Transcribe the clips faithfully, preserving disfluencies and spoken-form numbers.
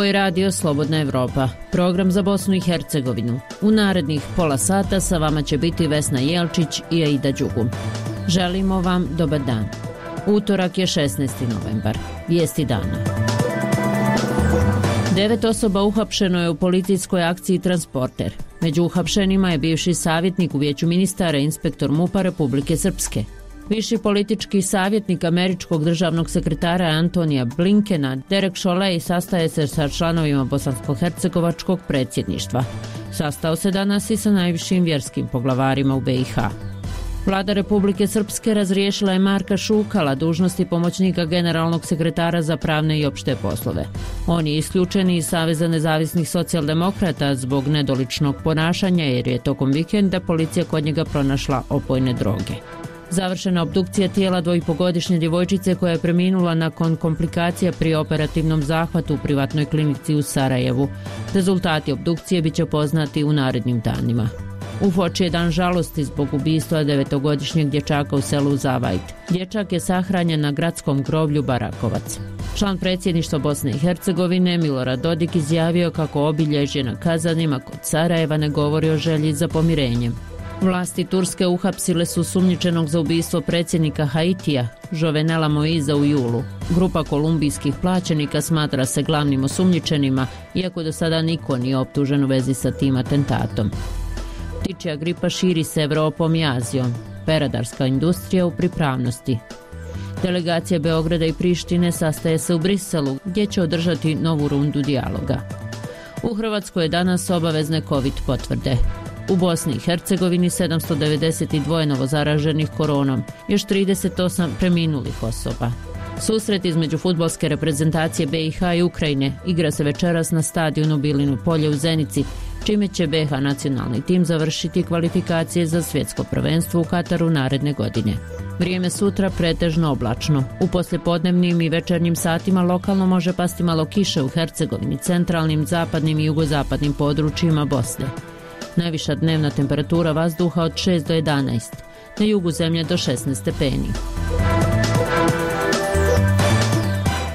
Ovo je radio Slobodna Evropa, program za Bosnu i Hercegovinu. U narednih pola sata sa vama će biti Vesna Jelčić i Aida Đugum. Želimo vam dobar dan. Utorak je šesnaesti novembar. Vijesti dana. Devet osoba uhapšeno je u policijskoj akciji Transporter. Među uhapšenima je bivši savjetnik u Vijeću ministara i inspektor MUP-a Republike Srpske. Viši politički savjetnik američkog državnog sekretara Antonija Blinkena, Derek Chollet, sastaje se sa članovima bosansko-hercegovačkog predsjedništva. Sastao se danas i sa najvišim vjerskim poglavarima u B i H. Vlada Republike Srpske razriješila je Marka Šukala dužnosti pomoćnika generalnog sekretara za pravne i opšte poslove. On je isključen iz Saveza nezavisnih socijaldemokrata zbog nedoličnog ponašanja jer je tokom vikenda policija kod njega pronašla opojne droge. Završena obdukcija tijela dvojipogodišnje djevojčice koja je preminula nakon komplikacija pri operativnom zahvatu u privatnoj klinici u Sarajevu. Rezultati obdukcije bit će poznati u narednim danima. U Foči je dan žalosti zbog ubistva devetogodišnjeg dječaka u selu Zavajt. Dječak je sahranjen na gradskom groblju Barakovac. Član predsjedništva Bosne i Hercegovine Milorad Dodik izjavio kako obilježje na kazanima kod Sarajeva ne govori o želji za pomirenjem. Vlasti Turske uhapsile su sumnjičenog za ubistvo predsjednika Haitija, Jovenela Moiza u julu. Grupa kolumbijskih plaćenika smatra se glavnim osumnjičenima, iako do sada niko nije optužen u vezi sa tim atentatom. Ptičja gripa širi se Evropom i Azijom. Peradarska industrija u pripravnosti. Delegacija Beograda i Prištine sastaje se u Briselu, gdje će održati novu rundu dijaloga. U Hrvatskoj je danas obavezne COVID potvrde. U Bosni i Hercegovini sedamsto devedeset dva novozaraženih koronom, još trideset osam preminulih osoba. Susret između fudbalske reprezentacije B i H i Ukrajine igra se večeras na stadionu Bilino polje u Zenici, čime će B i H nacionalni tim završiti kvalifikacije za svjetsko prvenstvo u Kataru naredne godine. Vrijeme sutra pretežno oblačno. U poslijepodnevnim i večernjim satima lokalno može pasti malo kiše u Hercegovini, centralnim, zapadnim i jugozapadnim područjima Bosne. Najviša dnevna temperatura vazduha od šest do jedanaest, na jugu zemlje do šesnaest stepeni.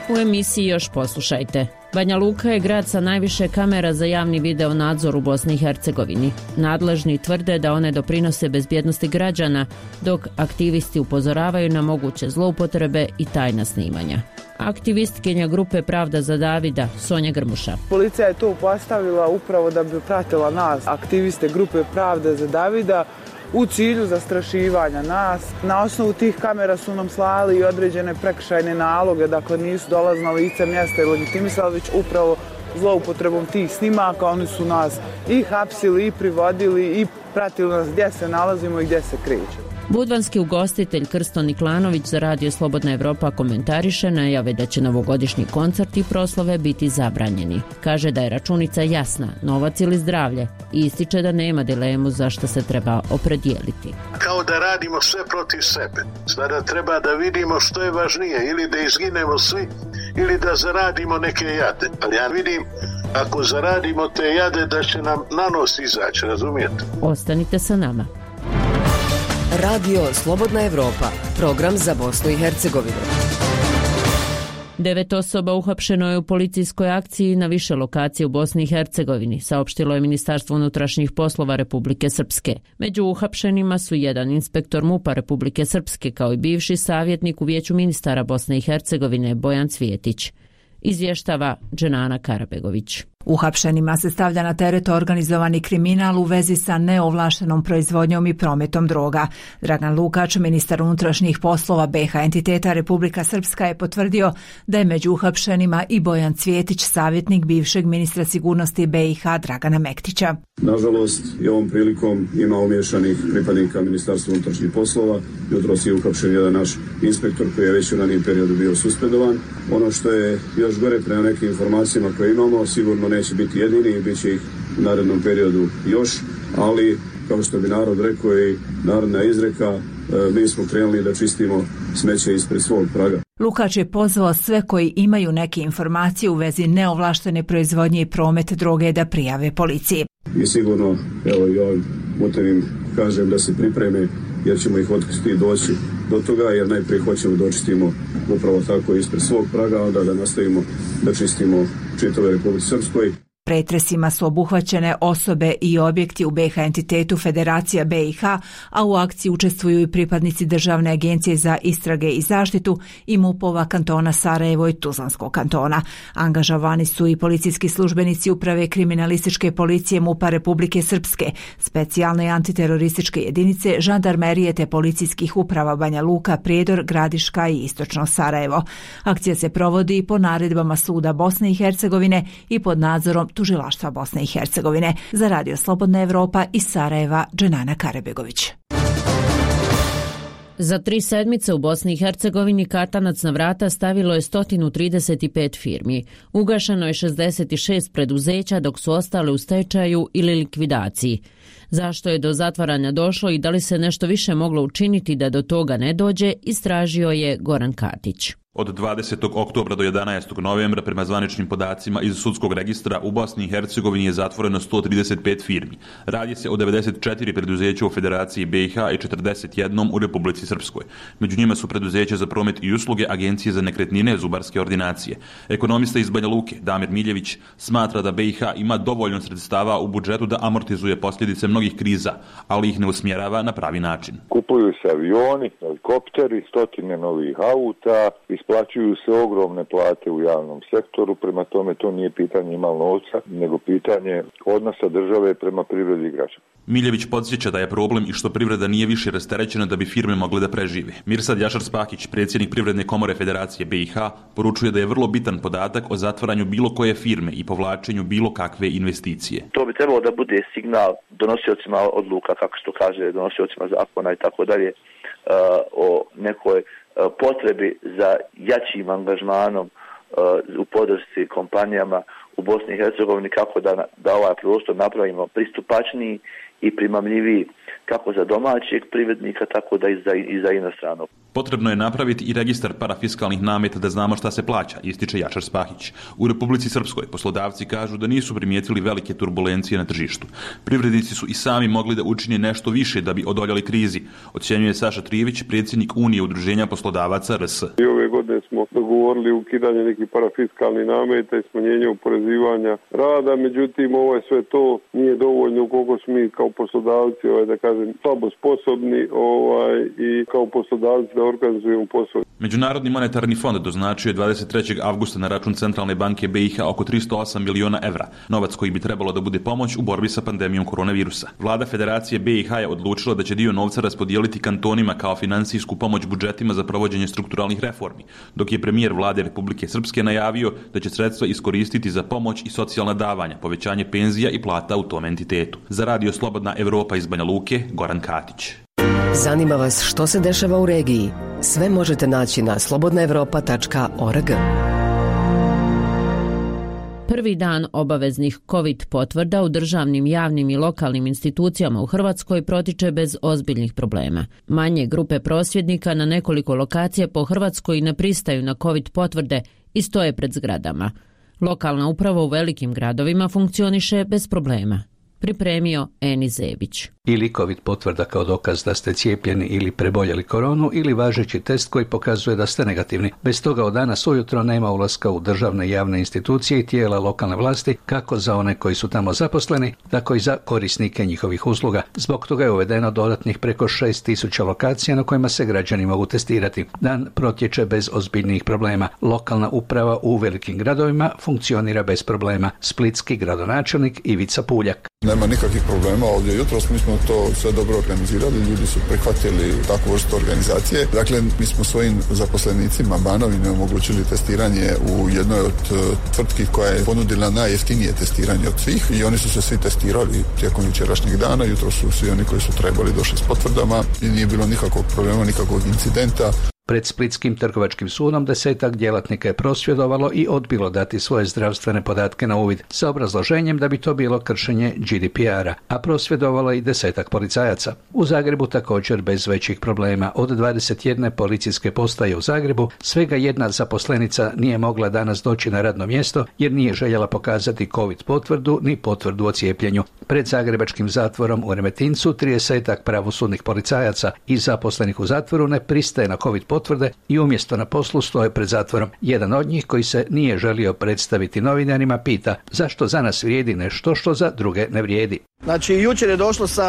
U emisiji još poslušajte. Banja Luka je grad sa najviše kamera za javni video nadzor u Bosni i Hercegovini. Nadležni tvrde da one doprinose bezbjednosti građana, dok aktivisti upozoravaju na moguće zloupotrebe i tajna snimanja. Aktivistkinja grupe Pravda za Davida, Sonja Grmuša. Policija je to postavila upravo da bi pratila nas, aktiviste grupe Pravda za Davida, u cilju zastrašivanja nas. Na osnovu tih kamera su nam slali i određene prekršajne naloge, dakle nisu dolazna lica mjesta i legitimisali, već upravo zloupotrebom tih snimaka oni su nas i hapsili i privodili i pratili nas gdje se nalazimo i gdje se krećemo. Budvanski ugostitelj Krsto Niklanović za radio Slobodna Evropa komentariše najave da će novogodišnji koncert i proslave biti zabranjeni. Kaže da je računica jasna, novac ili zdravlje, i ističe da nema dilemu zašto se treba opredijeliti. Kao da radimo sve protiv sebe. Sada treba da vidimo što je važnije, ili da izginemo svi, ili da zaradimo neke jade. Ali ja vidim, ako zaradimo te jade, da će nam na nos izaći, razumijete? Ostanite sa nama. Radio Slobodna Evropa, program za Bosnu i Hercegovinu. Devet osoba uhapšeno je u policijskoj akciji na više lokacije u Bosni i Hercegovini, saopštilo je Ministarstvo unutrašnjih poslova Republike Srpske. Među uhapšenima su jedan inspektor MUP-a Republike Srpske kao i bivši savjetnik u Vijeću ministara Bosne i Hercegovine Bojan Cvjetić. Izvještava Dženana Karabegović. Uhapšenima se stavlja na teret organizovani kriminal u vezi sa neovlaštenom proizvodnjom i prometom droga. Dragan Lukač, ministar unutrašnjih poslova B i H entiteta Republika Srpska, je potvrdio da je među uhapšenima i Bojan Cvjetić, savjetnik bivšeg ministra sigurnosti B i H Dragana Mektića. Nažalost, i ovom prilikom ima umiješanih pripadnika Ministarstva unutrašnjih poslova. Jutros je uhapšen jedan naš inspektor koji je već u ranijem periodu bio suspendovan. Ono što je još gore prema nekim informacijama koje imamo, sigurno neće biti jedini i bit će ih u narednom periodu još, ali kao što bi narod rekao i narodna izreka, mi smo krenuli da čistimo smeće ispred svog praga. Lukač je pozvao sve koji imaju neke informacije u vezi neovlaštene proizvodnje i promet droge da prijave policiji. I sigurno, evo i ovim putem kažem da se pripreme, jer ćemo ih otkriti doći do toga, jer najprije hoćemo da očistimo upravo tako ispred svog praga, onda da nastavimo da čistimo čitave Republici Srpskoj. Pretresima su obuhvaćene osobe i objekti u be ha entitetu Federacija be i ha, a u akciji učestvuju i pripadnici Državne agencije za istrage i zaštitu i MUP-ova kantona Sarajevo i Tuzlanskog kantona. Angažovani su i policijski službenici Uprave kriminalističke policije MUP-a Republike Srpske, specijalne i antiterorističke jedinice, žandarmerije te policijskih uprava Banja Luka, Prijedor, Gradiška i Istočno Sarajevo. Akcija se provodi po naredbama Suda Bosne i Hercegovine i pod nadzorom Tužilaštva Bosne i Hercegovine. Za Radio Slobodna Evropa iz Sarajeva, Dženana Karebegović. Za tri sedmice u Bosni i Hercegovini katanac na vrata stavilo je sto trideset pet firmi. Ugašeno je šezdeset šest preduzeća, dok su ostale u stečaju ili likvidaciji. Zašto je do zatvaranja došlo i da li se nešto više moglo učiniti da do toga ne dođe, istražio je Goran Katić. Od dvadesetog oktobra do jedanaestog novembra prema zvaničnim podacima iz sudskog registra u Bosni i Hercegovini je zatvoreno sto trideset pet firmi. Radi se o devedeset četiri preduzeća u Federaciji be i ha i četrdeset jedan u Republici Srpskoj. Među njima su preduzeća za promet i usluge, agencije za nekretnine, zubarske ordinacije. Ekonomista iz Banja Luke, Damir Miljević, smatra da be i ha ima dovoljno sredstava u budžetu da amortizuje posljedice mnogih kriza, ali ih ne usmjerava na pravi način. Kupuju se avioni, helikopteri, stotine novih auta, isplaćuju se ogromne plate u javnom sektoru, prema tome to nije pitanje imalo novca, nego pitanje odnosa države prema privredi i građana. Miljević podsjeća da je problem i što privreda nije više rasterećena da bi firme mogle da prežive. Mirsad Jašar-Spahić, predsjednik Privredne komore Federacije be i ha, poručuje da je vrlo bitan podatak o zatvaranju bilo koje firme i povlačenju bilo kakve investicije. To bi trebalo da bude signal donosiocima odluka, kako se to kaže, donosiocima zakona i tako dalje, o nekoj potrebi za jačim angažmanom u podršci kompanijama u Bosni i Hercegovini, kako da, da ovaj prostor napravimo pristupačniji i primamljiviji kako za domaćeg privrednika, tako da i za, i za inostranog. Potrebno je napraviti i registar parafiskalnih nameta da znamo šta se plaća, ističe Jačar Spahić. U Republici Srpskoj poslodavci kažu da nisu primijetili velike turbulencije na tržištu. Privrednici su i sami mogli da učine nešto više da bi odoljali krizi, ocjenjuje Saša Trijević, predsjednik Unije udruženja poslodavaca er es. I ove godine smo dogovorili ukidanje nekih parafiskalnih nameta i smanjenje oporezivanja rada, međutim ovo je sve to nije dovoljno koliko smo mi kao poslodavci, ovaj, da kažem, slabo sposobni ovaj, i kao poslodavci da organizujemo posao. Međunarodni monetarni fond doznačio je dvadeset trećeg avgusta na račun Centralne banke be i ha oko tristo osam miliona evra, novac koji bi trebalo da bude pomoć u borbi sa pandemijom koronavirusa. Vlada Federacije be i ha je odlučila da će dio novca raspodijeliti kantonima kao finansijsku pomoć budžetima za provođenje strukturalnih reformi, dok je premijer Vlade Republike Srpske najavio da će sredstva iskoristiti za pomoć i socijalna davanja, povećanje penzija i plata u tom entitetu. Za Radio Slobodna Evropa iz Banja Luke, Goran Katić. Zanima vas što se dešava u regiji? Sve možete naći na slobodna evropa tačka org. Prvi dan obaveznih COVID potvrda u državnim, javnim i lokalnim institucijama u Hrvatskoj protiče bez ozbiljnih problema. Manje grupe prosvjednika na nekoliko lokacija po Hrvatskoj ne pristaju na COVID potvrde i stoje pred zgradama. Lokalna uprava u velikim gradovima funkcioniše bez problema. Pripremio Eni Zebić. Ili COVID potvrda kao dokaz da ste cijepljeni ili preboljeli koronu ili važeći test koji pokazuje da ste negativni. Bez toga od danas ujutro nema ulaska u državne i javne institucije i tijela lokalne vlasti, kako za one koji su tamo zaposleni, tako i za korisnike njihovih usluga. Zbog toga je uvedeno dodatnih preko šest tisuća lokacija na kojima se građani mogu testirati. Dan protječe bez ozbiljnih problema. Lokalna uprava u velikim gradovima funkcionira bez problema. Splitski gradonačelnik Ivica Puljak. Nema nikakvih problema ovdje. Jutros mi smo to sve dobro organizirali, ljudi su prihvatili takvu vrstu organizacije. Dakle, mi smo svojim zaposlenicima Banovine omogućili testiranje u jednoj od tvrtki koja je ponudila najjeftinije testiranje od svih i oni su se svi testirali tijekom jučerašnjeg dana. Jutro su svi oni koji su trebali došli s potvrdama i nije bilo nikakvog problema, nikakvog incidenta. Pred Splitskim trgovačkim sudom desetak djelatnika je prosvjedovalo i odbilo dati svoje zdravstvene podatke na uvid sa obrazloženjem da bi to bilo kršenje G D P R-a, a prosvjedovalo i desetak policajaca. U Zagrebu također bez većih problema. Od dvadeset jedne policijske postaje u Zagrebu svega jedna zaposlenica nije mogla danas doći na radno mjesto jer nije željela pokazati COVID potvrdu ni potvrdu o cijepljenju. Pred zagrebačkim zatvorom u Remetincu tridesetak pravosudnih policajaca i zaposlenih u zatvoru ne pristaje na COVID potvrde i umjesto na poslu stoje pred zatvorom. Jedan od njih koji se nije želio predstaviti novinarima pita zašto za nas vrijedi nešto što za druge ne vrijedi. Znači jučer je došlo sa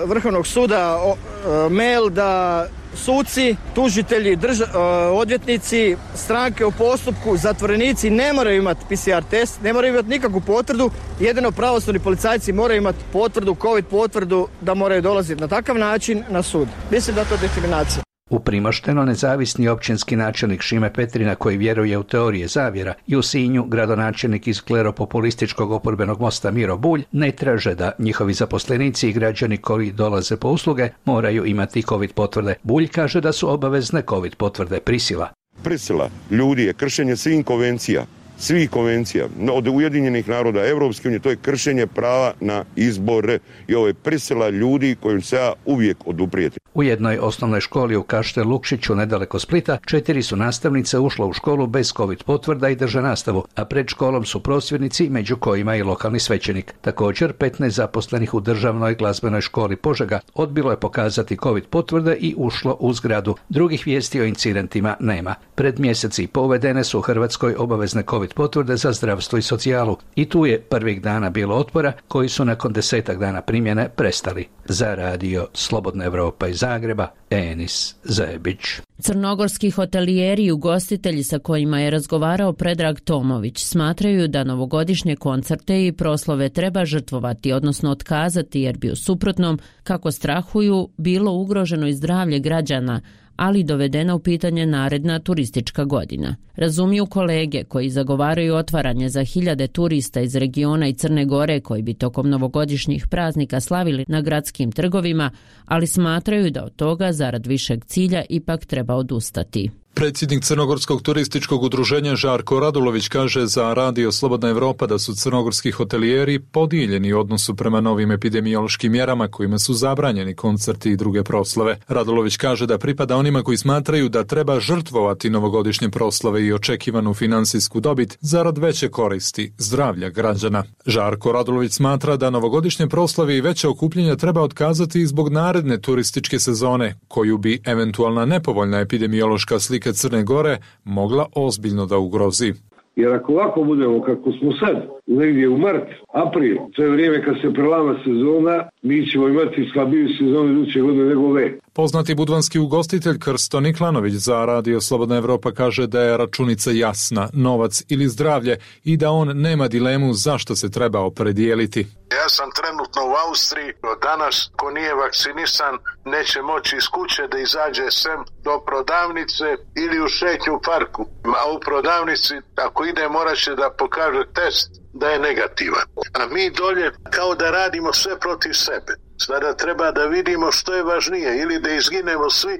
Vrhovnog suda o, e, mail da suci, tužitelji, drža, e, odvjetnici, stranke u postupku, zatvorenici ne moraju imati P C R test, ne moraju imati nikakvu potvrdu, jedino pravosudni policajci moraju imati potvrdu, COVID potvrdu da moraju dolaziti na takav način na sud. Mislim da je to diskriminacija. U Primošteno nezavisni općinski načelnik Šime Petrina koji vjeruje u teorije zavjera i u Sinju gradonačelnik iz kleropopulističkog oporbenog mosta Miro Bulj ne traže da njihovi zaposlenici i građani koji dolaze po usluge moraju imati COVID potvrde. Bulj kaže da su obavezne COVID potvrde prisila. Prisila ljudi je kršenje svih konvencija. Svih konvencija, od Ujedinjenih naroda, Evropske unije, to je kršenje prava na izbore i ovo je prisila ljudi kojim se ja uvijek oduprijeti. U jednoj osnovnoj školi u Kaštel Lukšiću nedaleko Splita četiri su nastavnice ušlo u školu bez COVID potvrda i drže nastavu, a pred školom su prosvjednici među kojima i lokalni svećenik. Također petnaest zaposlenih u državnoj glazbenoj školi Požega odbilo je pokazati COVID potvrde i ušlo u zgradu. Drugih vijesti o incidentima nema. Pred mjeseci i pol uvedene su u Hrvatskoj obavezne COVID potvrde za zdravstvo i socijalu i tu je prvih dana bilo otpora koji su nakon desetak dana primjene prestali. Za radio Slobodna Evropa iz Zagreba, Enis Zebić. Crnogorski hotelijeri i ugostitelji sa kojima je razgovarao Predrag Tomović smatraju da novogodišnje koncerte i proslove treba žrtvovati, odnosno otkazati jer bi u suprotnom, kako strahuju, bilo ugroženo i zdravlje građana, ali dovedena u pitanje naredna turistička godina. Razumiju kolege koji zagovaraju otvaranje za hiljade turista iz regiona i Crne Gore koji bi tokom novogodišnjih praznika slavili na gradskim trgovima, ali smatraju da od toga zarad višeg cilja ipak treba odustati. Predsjednik Crnogorskog turističkog udruženja Žarko Radulović kaže za radio Slobodna Evropa da su crnogorski hotelijeri podijeljeni u odnosu prema novim epidemiološkim mjerama kojima su zabranjeni koncerti i druge proslave. Radulović kaže da pripada onima koji smatraju da treba žrtvovati novogodišnje proslave i očekivanu finansijsku dobit zarad veće koristi zdravlja građana. Žarko Radulović smatra da novogodišnje proslave i veće okupljenja treba otkazati zbog naredne turističke sezone, koju bi eventualna nepovoljna epidemiološka slika Crne Gore mogla ozbiljno da ugrozi. Jer ako ovako budemo kako smo sad, negdje u mart, april, to je vrijeme kad se prelama sezona, mi ćemo imati slabiju sezonu iduće godine nego ove. Poznati budvanski ugostitelj Krsto Niklanović za radio Slobodna Evropa kaže da je računica jasna, novac ili zdravlje i da on nema dilemu zašto se treba opredijeliti. Ja sam trenutno u Austriji, od danas ko nije vakcinisan neće moći iz kuće da izađe sem do prodavnice ili u šetnju u parku. A u prodavnici ako ide morat će da pokaže test da je negativan. A mi dolje kao da radimo sve protiv sebe. Sada treba da vidimo što je važnije, ili da izginemo svi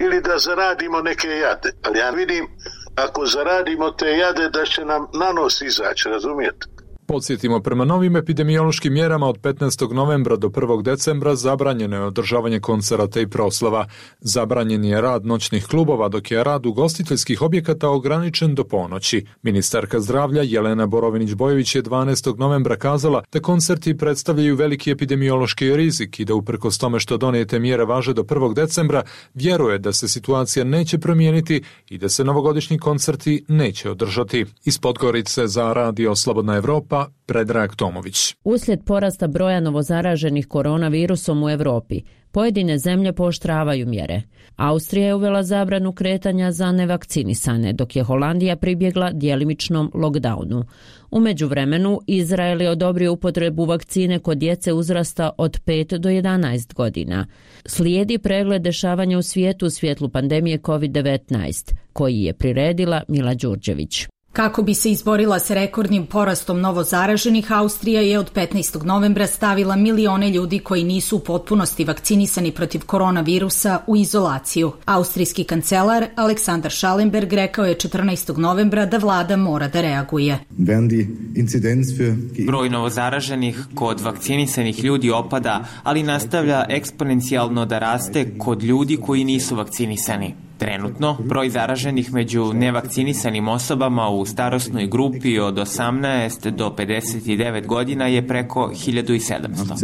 ili da zaradimo neke jade. Ali ja vidim ako zaradimo te jade da će nam na nos izaći, razumijete? Podsjetimo, prema novim epidemiološkim mjerama od petnaestog novembra do prvog decembra zabranjeno je održavanje koncerata i proslava. Zabranjen je rad noćnih klubova, dok je rad ugostiteljskih objekata ograničen do ponoći. Ministarka zdravlja Jelena Borovinić-Bojović je dvanaestog novembra kazala da koncerti predstavljaju veliki epidemiološki rizik i da uprkos tome što donijete mjere važe do prvog decembra, vjeruje da se situacija neće promijeniti i da se novogodišnji koncerti neće održati. Iz Podgorice za radio Slobodna Evropa, Predrag Tomović. Uslijed porasta broja novozaraženih koronavirusom u Europi, pojedine zemlje pooštravaju mjere. Austrija je uvela zabranu kretanja za nevakcinisane, dok je Holandija pribjegla djelimičnom lockdownu. U međuvremenu, Izrael je odobrio upotrebu vakcine kod djece uzrasta od pet do jedanaest godina. Slijedi pregled dešavanja u svijetu u svjetlu pandemije kovid devetnaest, koji je priredila Mila Đurđević. Kako bi se izborila s rekordnim porastom novozaraženih, Austrija je od petnaestog novembra stavila milione ljudi koji nisu u potpunosti vakcinisani protiv koronavirusa u izolaciju. Austrijski kancelar Aleksandar Schallenberg rekao je četrnaestog novembra da vlada mora da reaguje. Broj novozaraženih kod vakcinisanih ljudi opada, ali nastavlja eksponencijalno da raste kod ljudi koji nisu vakcinisani. Trenutno, broj zaraženih među nevakcinisanim osobama u starosnoj grupi od osamnaest do pedeset devet godina je preko hiljadu sedamsto.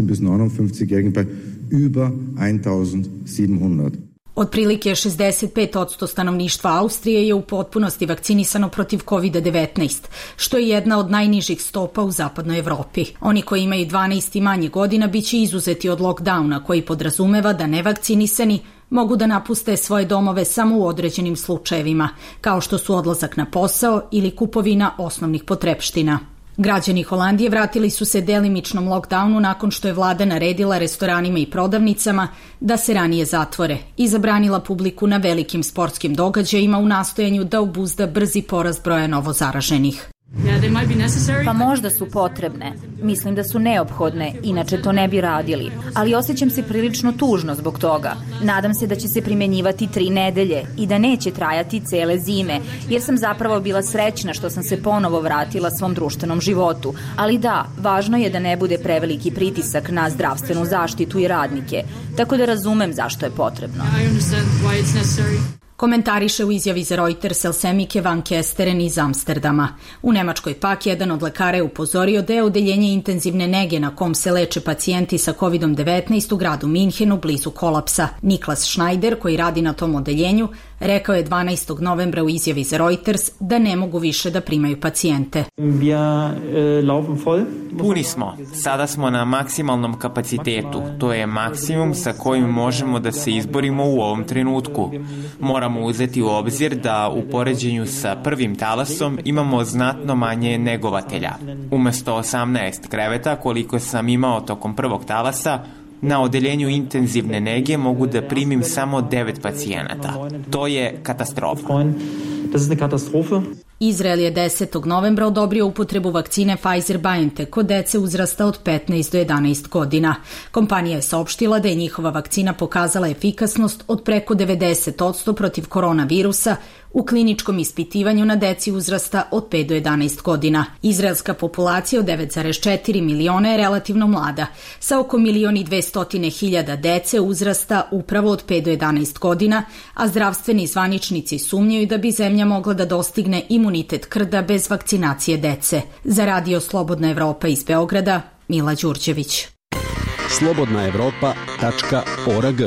Otprilike šezdeset pet posto stanovništva Austrije je u potpunosti vakcinisano protiv kovid devetnaest, što je jedna od najnižih stopa u zapadnoj Evropi. Oni koji imaju dvanaest i manje godina biće izuzeti od lockdowna, koji podrazumeva da nevakcinisani mogu da napuste svoje domove samo u određenim slučajevima, kao što su odlazak na posao ili kupovina osnovnih potrepština. Građani Holandije vratili su se delimičnom lockdownu nakon što je vlada naredila restoranima i prodavnicama da se ranije zatvore i zabranila publiku na velikim sportskim događajima u nastojanju da obuzda brzi porast broja novozaraženih. Pa možda su potrebne. Mislim da su neophodne, inače to ne bi radili. Ali osjećam se prilično tužno zbog toga. Nadam se da će se primjenjivati tri nedelje i da neće trajati cele zime, jer sam zapravo bila srećna što sam se ponovo vratila svom društvenom životu. Ali da, važno je da ne bude preveliki pritisak na zdravstvenu zaštitu i radnike. Tako da razumem zašto je potrebno. Komentariše u izjavi za Reuters Elsemike van Kesteren iz Amsterdama. U Nemačkoj pak jedan od lekara je upozorio da je odeljenje intenzivne nege na kom se leče pacijenti sa kovid devetnaest u gradu Minhenu blizu kolapsa. Niklas Schneider, koji radi na tom odeljenju, rekao je dvanaestog novembra u izjavi za Reuters da ne mogu više da primaju pacijente. Puni smo. Sada smo na maksimalnom kapacitetu. To je maksimum sa kojim možemo da se izborimo u ovom trenutku. Moramo uzeti u obzir da u poređenju sa prvim talasom imamo znatno manje negovatelja. Umesto osamnaest kreveta koliko sam imao tokom prvog talasa, na odeljenju intenzivne nege mogu da primim samo devet pacijenata. To je katastrofa. Izrael je desetog novembra odobrio upotrebu vakcine Pfizer-BioNTech kod dece uzrasta od petnaest do jedanaest godina. Kompanija je saopštila da je njihova vakcina pokazala efikasnost od preko devedeset posto protiv koronavirusa u kliničkom ispitivanju na deci uzrasta od pet do jedanaest godina. Izraelska populacija od devet zarez četiri miliona je relativno mlada, sa oko milion i dvesta hiljada dece uzrasta upravo od pet do jedanaest godina, a zdravstveni zvaničnici sumnjaju da bi zemlja mogla da dostigne imunitet krda bez vakcinacije dece. Za Radio Slobodna Evropa iz Beograda, Mila Đurđević. slobodna evropa tačka org.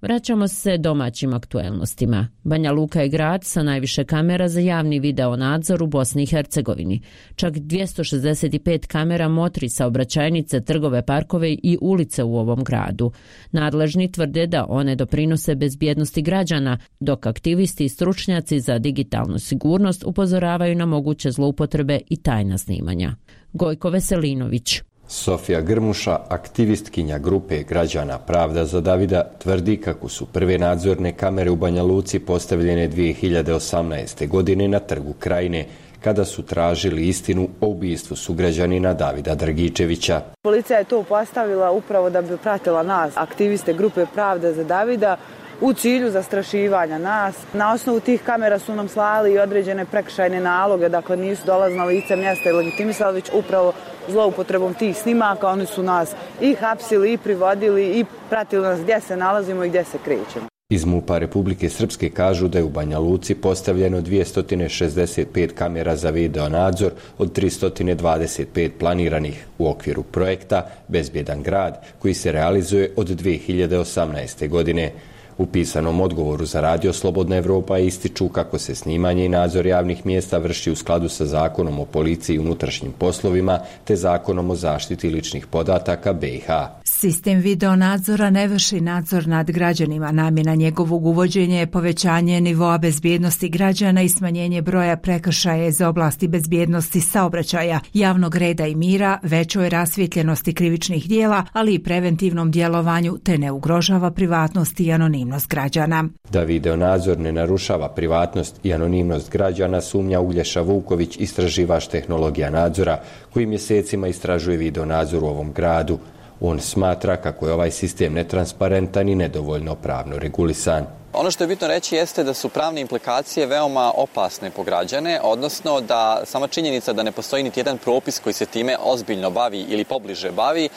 Vraćamo se domaćim aktuelnostima. Banja Luka je grad sa najviše kamera za javni video nadzor u Bosni i Hercegovini. Čak dvjesto šezdeset pet kamera motri saobraćajnice, trgove, parkove i ulice u ovom gradu. Nadležni tvrde da one doprinose bezbjednosti građana, dok aktivisti i stručnjaci za digitalnu sigurnost upozoravaju na moguće zloupotrebe i tajna snimanja. Gojko Veselinović. Sofija Grmuša, aktivistkinja grupe građana Pravda za Davida, tvrdi kako su prve nadzorne kamere u Banja Luci postavljene dvije hiljade osamnaeste. godine na Trgu Krajine, kada su tražili istinu o ubistvu sugrađanina Davida Dragičevića. Policija je to postavila upravo da bi pratila nas, aktiviste grupe Pravda za Davida, u cilju zastrašivanja nas. Na osnovu tih kamera su nam slali i određene prekršajne naloge, dakle nisu dolazili na lice mjesta i legitimisali, već upravo zloupotrebom tih snimaka oni su nas i hapsili i privodili i pratili nas gdje se nalazimo i gdje se krećemo. Iz MUP-a Republike Srpske kažu da je u Banja Luci postavljeno dvjesto šezdeset pet kamera za video nadzor od tristo dvadeset pet planiranih u okviru projekta Bezbjedan grad, koji se realizuje od dvije hiljade osamnaeste. godine. U pisanom odgovoru za Radio Slobodna Evropa ističu kako se snimanje i nadzor javnih mjesta vrši u skladu sa Zakonom o policiji i unutrašnjim poslovima te Zakonom o zaštiti ličnih podataka B i H. Sistem video nadzora ne vrši nadzor nad građanima. Namjena njegovog uvođenja je povećanje nivoa bezbjednosti građana i smanjenje broja prekršaja iz oblasti bezbjednosti saobraćaja, javnog reda i mira, većoj rasvijetljenosti krivičnih dijela, ali i preventivnom djelovanju, te ne ugrožava privatnost i anonimnost građana. Da video nadzor ne narušava privatnost i anonimnost građana sumnja Uglješa Vuković, istraživač tehnologija nadzora, koji mjesecima istražuje video nadzor u ovom gradu. On smatra kako je ovaj sistem netransparentan i nedovoljno pravno regulisan. Ono što je bitno reći jeste da su pravne implikacije veoma opasne po građane, odnosno da sama činjenica da ne postoji niti jedan propis koji se time ozbiljno bavi ili pobliže bavi, e,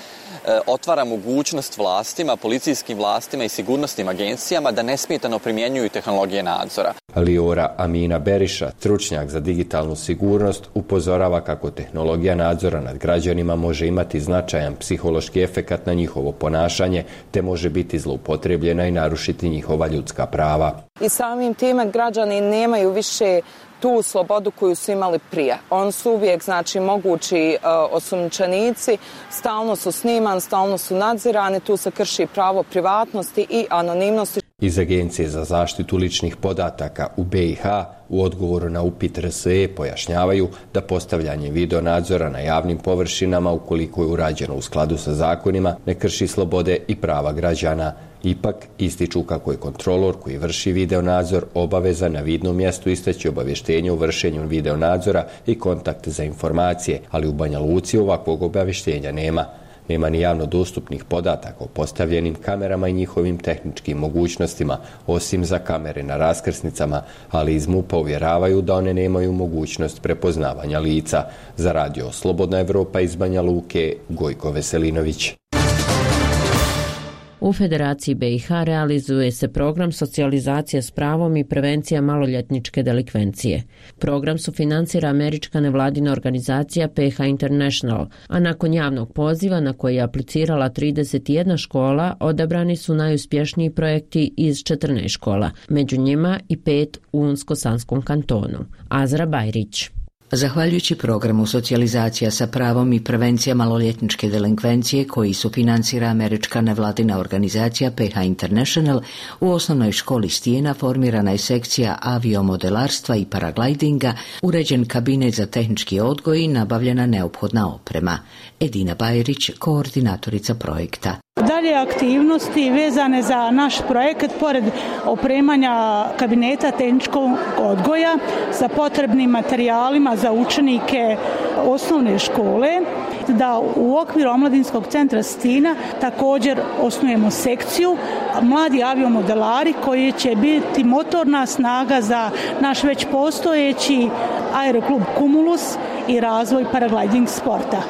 otvara mogućnost vlastima, policijskim vlastima i sigurnosnim agencijama da nesmetano primjenjuju tehnologije nadzora. Liora Amina Beriša, stručnjak za digitalnu sigurnost, upozorava kako tehnologija nadzora nad građanima može imati značajan psihološki efekat na njihovo ponašanje, te može biti zloupotrebljena i narušiti njihova ljudska prava. I samim time građani nemaju više tu slobodu koju su imali prije. On su uvijek, znači, mogući uh, osumnjičenici, stalno su sniman, stalno su nadzirani, tu se krši pravo privatnosti i anonimnosti. Iz Agencije za zaštitu ličnih podataka u B i H u odgovoru na upit R S E pojašnjavaju da postavljanje video nadzora na javnim površinama, ukoliko je urađeno u skladu sa zakonima, ne krši slobode i prava građana. Ipak ističu kako je kontrolor koji vrši video nadzor obavezan na vidnom mjestu istaći obavještenje o vršenju video nadzora i kontakt za informacije, ali u Banja Luci ovakvog obavještenja nema. Nema ni javno dostupnih podataka o postavljenim kamerama i njihovim tehničkim mogućnostima, osim za kamere na raskrsnicama, ali iz MUP-a uvjeravaju da one nemaju mogućnost prepoznavanja lica. Za radio Slobodna Evropa iz Banja Luke, Gojko Veselinović. U Federaciji B i H realizuje se program socijalizacija s pravom i prevencija maloljetničke delikvencije. Program sufinancira američka nevladina organizacija P H International, a nakon javnog poziva na koji je aplicirala trideset jedna škola, odabrani su najuspješniji projekti iz četrnaest škola, među njima i pet u Unsko-Sanskom kantonu. Azra Bajrić. Zahvaljujući programu socijalizacija sa pravom i prevencija maloljetničke delinkvencije koji sufinancira američka nevladina organizacija P H International, u osnovnoj školi Stijena formirana je sekcija aviomodelarstva i paraglidinga, uređen kabinet za tehnički odgoj i nabavljena neophodna oprema. Edina Bajrić, koordinatorica projekta. Dalje aktivnosti vezane za naš projekat, pored opremanja kabineta tehničkog odgoja sa potrebnim materijalima za učenike osnovne škole, da u okviru Omladinskog centra Stina također osnujemo sekciju mladi aviomodelari koji će biti motorna snaga za naš već postojeći aeroklub Cumulus i razvoj paragliding sporta.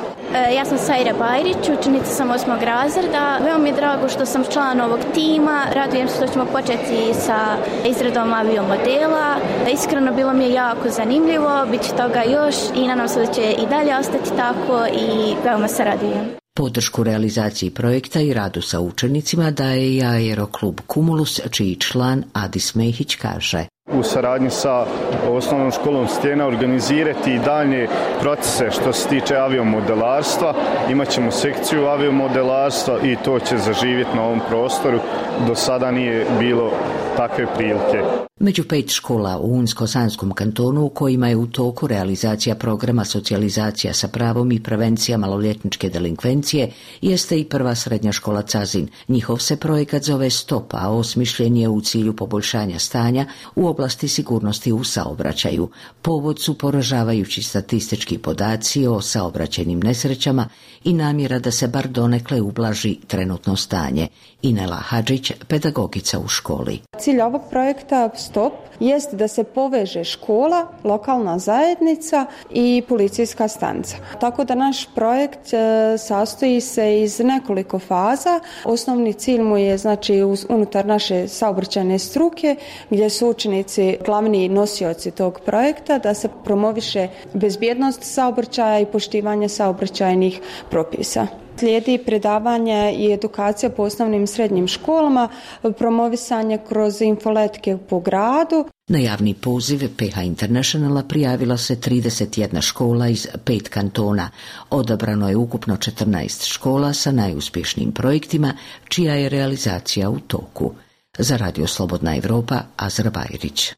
Ja sam Sajra Bajrić, učenica sam osmog razreda. Veoma mi je drago što sam član ovog tima. Radujem se što ćemo početi sa izradom aviomodela. Iskreno bilo mi je jako zanimljivo, bit će toga još i nadam se da će i dalje ostati tako i veoma se radujem. Podršku realizaciji projekta i radu sa učenicima daje i aeroklub Cumulus, čiji član Adis Mehić kaže: u saradnji sa osnovnom školom Stijena organizirati i dalje procese što se tiče aviomodelarstva. Imaćemo sekciju aviomodelarstva i to će zaživjeti na ovom prostoru. Do sada nije bilo takve prilike. Među pet škola u Unsko-Sanskom kantonu u kojima je u toku realizacija programa socijalizacija sa pravom i prevencija maloljetničke delinkvencije jeste i prva srednja škola Cazin. Njihov se projekat zove Stop, a osmišljen je u cilju poboljšanja stanja u oblasti sigurnosti u saobraćaju. Povod su poražavajući statistički podaci o saobraćajnim nesrećama i namjera da se bar donekle ublaži trenutno stanje. Inela Hadžić, pedagogica u školi. Cilj ovog projekta Stop jest da se poveže škola, lokalna zajednica i policijska stanica. Tako da naš projekt e, sastoji se iz nekoliko faza. Osnovni cilj mu je, znači, unutar naše saobraćajne struke, gdje su učenici glavni nosioci tog projekta, da se promoviše bezbjednost saobraćaja i poštivanje saobraćajnih propisa. Slijedi predavanje i edukacija po osnovnim i srednjim školama, promovisanje kroz infoletke po gradu. Na javni poziv P H Internationala prijavila se trideset jedna škola iz pet kantona. Odabrano je ukupno četrnaest škola sa najuspješnijim projektima, čija je realizacija u toku. Za Radio Slobodna Evropa, Azra Bajrić.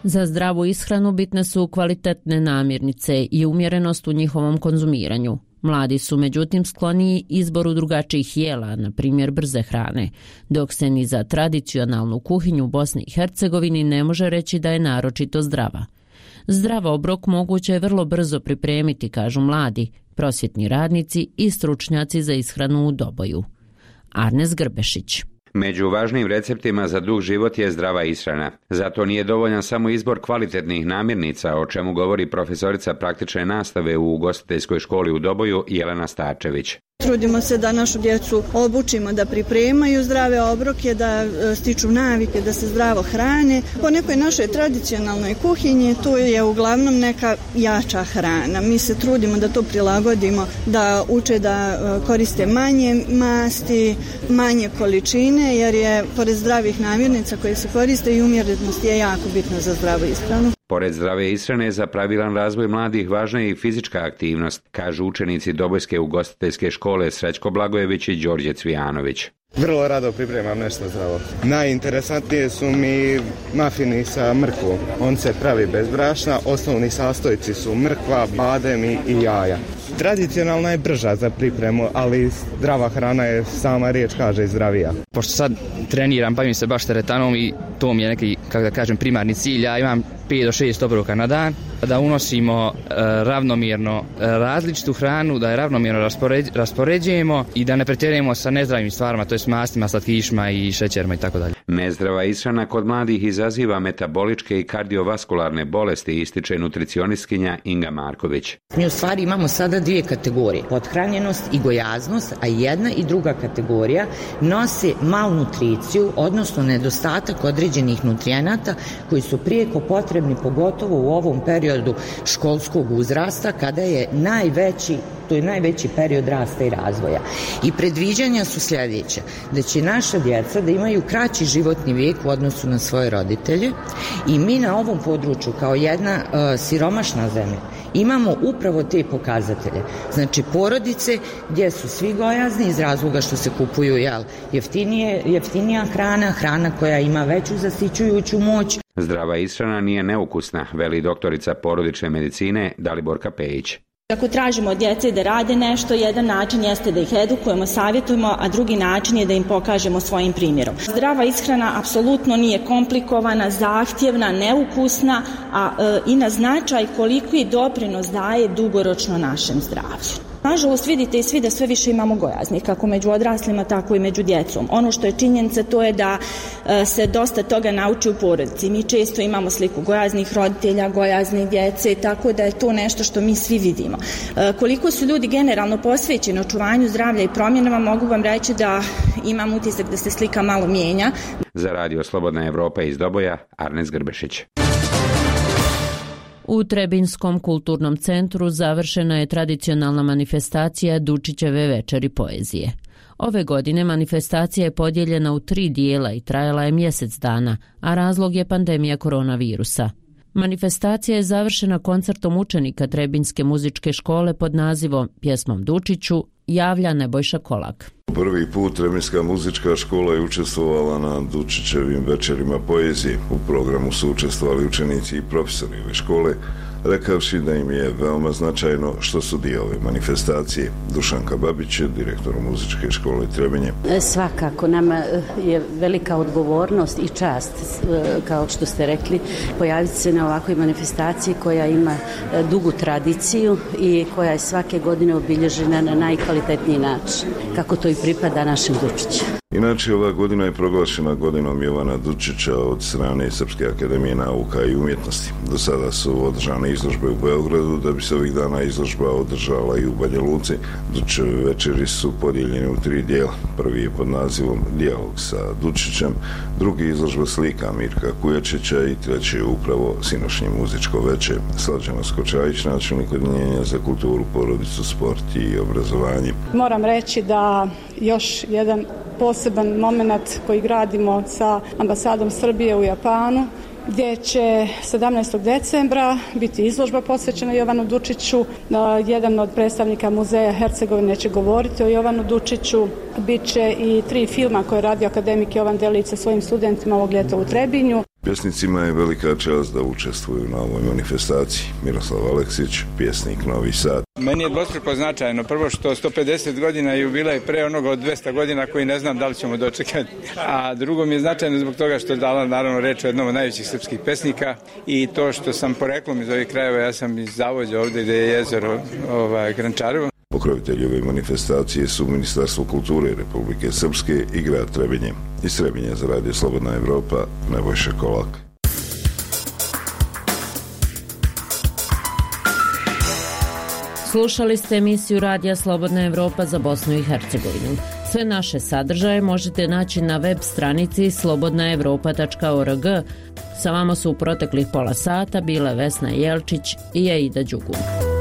Za zdravu ishranu bitne su kvalitetne namirnice i umjerenost u njihovom konzumiranju. Mladi su međutim skloniji izboru drugačijih jela, na primjer brze hrane, dok se ni za tradicionalnu kuhinju u Bosni i Hercegovini ne može reći da je naročito zdrava. Zdrav obrok moguće je vrlo brzo pripremiti, kažu mladi, prosvjetni radnici i stručnjaci za ishranu u Doboju. Arnes Grbešić. Među važnim receptima za dug život je zdrava ishrana. Zato nije dovoljan samo izbor kvalitetnih namirnica, o čemu govori profesorica praktične nastave u ugostiteljskoj školi u Doboju Jelena Starčević. Trudimo se da našu djecu obučimo da pripremaju zdrave obroke, da stiču navike, da se zdravo hrane. Po nekoj našoj tradicionalnoj kuhinji tu je uglavnom neka jača hrana. Mi se trudimo da to prilagodimo, da uče da koriste manje masti, manje količine, jer je pored zdravih namirnica koje se koriste i umjerenost je jako bitna za zdravu ishranu. Pored zdrave ishrane, za pravilan razvoj mladih važna je i fizička aktivnost, kažu učenici Dobojske ugostiteljske škole Srećko Blagojević i Đorđe Cvijanović. Vrlo rado pripremam nešto zdravo. Najinteresantnije su mi mafini sa mrkvom. On se pravi bez brašna, osnovni sastojci su mrkva, badem i jaja. Tradicionalna je brža za pripremu, ali zdrava hrana je, sama riječ kaže, zdravija. Pošto sad treniram, bavim se baš teretanom i to mi je neki, kako da kažem, primarni cilj. Ja imam pet do šest obroka na dan, da unosimo e, ravnomjerno e, različitu hranu, da je ravnomjerno raspoređ, raspoređujemo i da ne pretjerujemo sa nezdravim stvarima, to je s mastima, slatkišima i šećerima i tako dalje. Nezdrava ishrana kod mladih izaziva metaboličke i kardiovaskularne bolesti, ističe nutricionistkinja Inga Marković. Mi u stvari imamo sada dvije kategorije, pothranjenost i gojaznost, a jedna i druga kategorija nose malnutriciju, odnosno nedostatak određenih nutrijenata koji su prijeko potrebni, pogotovo u ovom periodu školskog uzrasta, kada je najveći, to je najveći period rasta i razvoja. I predviđanja su sljedeće, da će naša djeca da imaju kraći životni vijek u odnosu na svoje roditelje i mi na ovom području kao jedna uh, siromašna zemlja imamo upravo te pokazatelje. Znači porodice gdje su svi gojazni iz razloga što se kupuju jel, jeftinije, jeftinija hrana, hrana koja ima veću zasićujuću moć. Zdrava ishrana nije neukusna, veli doktorica porodične medicine Daliborka Pejić. Ako tražimo od djece da rade nešto, jedan način jeste da ih edukujemo, savjetujemo, a drugi način je da im pokažemo svojim primjerom. Zdrava ishrana apsolutno nije komplikovana, zahtjevna, neukusna, a e, i na značaj koliki doprinos daje dugoročno našem zdravlju. Nažalost, vidite i svi da sve više imamo gojaznih, kako među odraslima, tako i među djecom. Ono što je činjenica, to je da e, se dosta toga nauči u porodici. Mi često imamo sliku gojaznih roditelja, gojaznih djece, tako da je to nešto što mi svi vidimo. E, koliko su ljudi generalno posvećeni očuvanju zdravlja i promjenama, mogu vam reći da imam utisak da se slika malo mijenja. Za Radio Slobodna Evropa iz Doboja, Arnes Grbešić. U Trebinskom kulturnom centru završena je tradicionalna manifestacija Dučićeve večeri poezije. Ove godine manifestacija je podijeljena u tri dijela i trajala je mjesec dana, a razlog je pandemija koronavirusa. Manifestacija je završena koncertom učenika Trebinske muzičke škole pod nazivom Pjesmom Dučiću javlja Nebojša Kolak. Prvi put Trebinska muzička škola je učestvovala na Dučićevim večerima poezije. U programu su učestvovali učenici i profesori ove škole, rekavši da im je veoma značajno što su dio ove manifestacije. Dušanka Babić je direktor muzičke škole Trebinje. Svakako nama je velika odgovornost i čast, kao što ste rekli, pojaviti se na ovakvoj manifestaciji koja ima dugu tradiciju i koja je svake godine obilježena na najkvalitetniji način, kako to i pripada našem Dučiću. Inače, ova godina je proglašena godinom Jovana Dučića od strane Srpske akademije nauka i umjetnosti. Do sada su održane izložbe u Beogradu, da bi se ovih dana izložba održala i u Banja Luci. Dučićeve večeri su podijeljene u tri dijela. Prvi je pod nazivom Dijalog sa Dučićem, drugi izložba slika Mirka Kujačića i treći je upravo sinošnje muzičko veče. Slađana Skočajić, načelnik Odeljenja za kulturu, porodicu, sport i obrazovanje. Moram reći da još jedan poseban moment koji gradimo sa ambasadom Srbije u Japanu, gdje će sedamnaestog decembra biti izložba posvećena Jovanu Dučiću. Jedan od predstavnika muzeja Hercegovine će govoriti o Jovanu Dučiću. Biće i tri filma koje je radio akademik Jovan Delić sa svojim studentima ovog ljeta u Trebinju. Pjesnicima je velika čast da učestvuju na ovoj manifestaciji. Miroslav Aleksić, pjesnik Novi Sad. Meni je dvostruko značajno. Prvo što sto pedeset godina jubilej pre onoga od dvesta godina koji ne znam da li ćemo dočekati. A drugo mi je značajno zbog toga što je dala naravno reč o jednom od najvećih srpskih pesnika i to što sam poreklom iz ovih krajeva, ja sam iz Zavođa ovdje gdje je jezero ovaj, Grančarevo. Pokrovitelji ove manifestacije su Ministarstvo kulture Republike Srpske i grad Trebinje. Iz Trebinja za Radio Slobodna Evropa, Nebojša Kolak. Slušali ste emisiju Radija Slobodna Evropa za Bosnu i Hercegovinu. Sve naše sadržaje možete naći na web stranici slobodna evropa tačka org. Sa vama su u proteklih pola sata bile Vesna Jelčić i Aida Đugun.